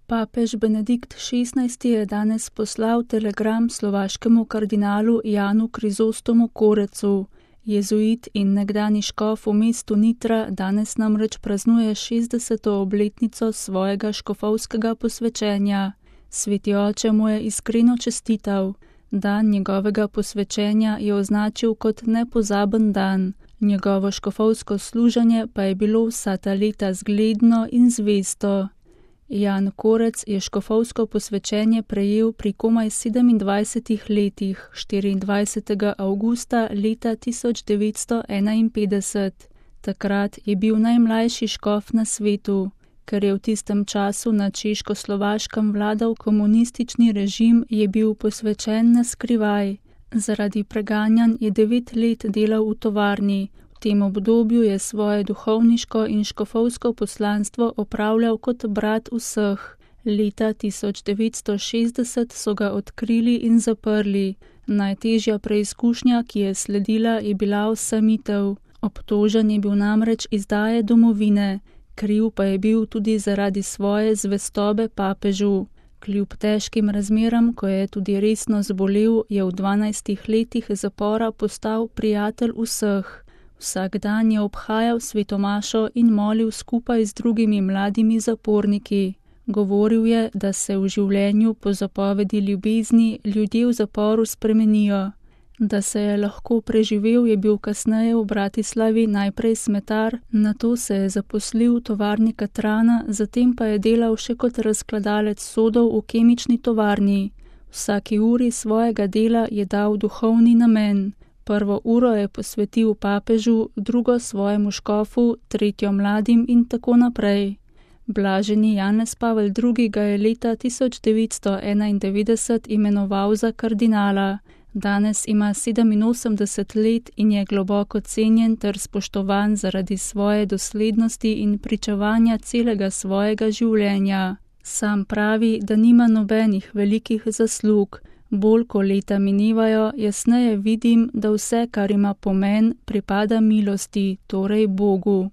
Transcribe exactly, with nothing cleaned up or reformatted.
Papež Benedikt šestnajsti je danes poslal telegram slovaškemu kardinalu Janu Krizostomu Korecu. Jezuit in nekdani škof v mestu Nitra danes namreč praznuje šestdeseto obletnico svojega škofovskega posvečenja. Sveti oče mu je iskreno čestital. Dan njegovega posvečenja je označil kot nepozaben dan. Njegovo škofovsko služenje pa je bilo vsa ta leta zgledno in zvesto. Jan Korec je škofovsko posvečenje prejel pri komaj sedemindvajsetih letih, štiriindvajsetega avgusta leta tisoč devetsto enainpetdeset. Takrat je bil najmlajši škof na svetu. Ker je v tistem času na Češko-Slovaškem vladal komunistični režim, je bil posvečen na skrivaj. Zaradi preganjanj je devet let delal v tovarni. V tem obdobju je svoje duhovniško in škofovsko poslanstvo opravljal kot brat vseh. Leta tisoč devetsto šestdeset so ga odkrili in zaprli. Najtežja preizkušnja, ki je sledila, je bila osamitev. Obtožen je bil namreč izdaje domovine. Kriv pa je bil tudi zaradi svoje zvestobe papežu. Kljub težkim razmeram, ko je tudi resno zbolel, je v dvanajstih letih zapora postal prijatelj vseh. Vsak dan je obhajal svetomašo in molil skupaj z drugimi mladimi zaporniki. Govoril je, da se v življenju po zapovedi ljubezni ljudje v zaporu spremenijo. Da se je lahko preživel, je bil kasneje v Bratislavi najprej smetar, nato se je zaposlil v tovarni katrana, zatem pa je delal še kot razkladalec sodov v kemični tovarni. Vsaki uri svojega dela je dal duhovni namen. Prvo uro je posvetil papežu, drugo svojemu škofu, tretjo mladim in tako naprej. Blaženi Janez Pavel drugi. ga je leta tisoč devetsto enaindevetdeset imenoval za kardinala. Danes ima sedeminosemdeset let in je globoko cenjen ter spoštovan zaradi svoje doslednosti in pričevanja celega svojega življenja. Sam pravi, da nima nobenih velikih zaslug. Bolj ko leta minevajo, jasneje vidim, da vse, kar ima pomen, pripada milosti, torej Bogu.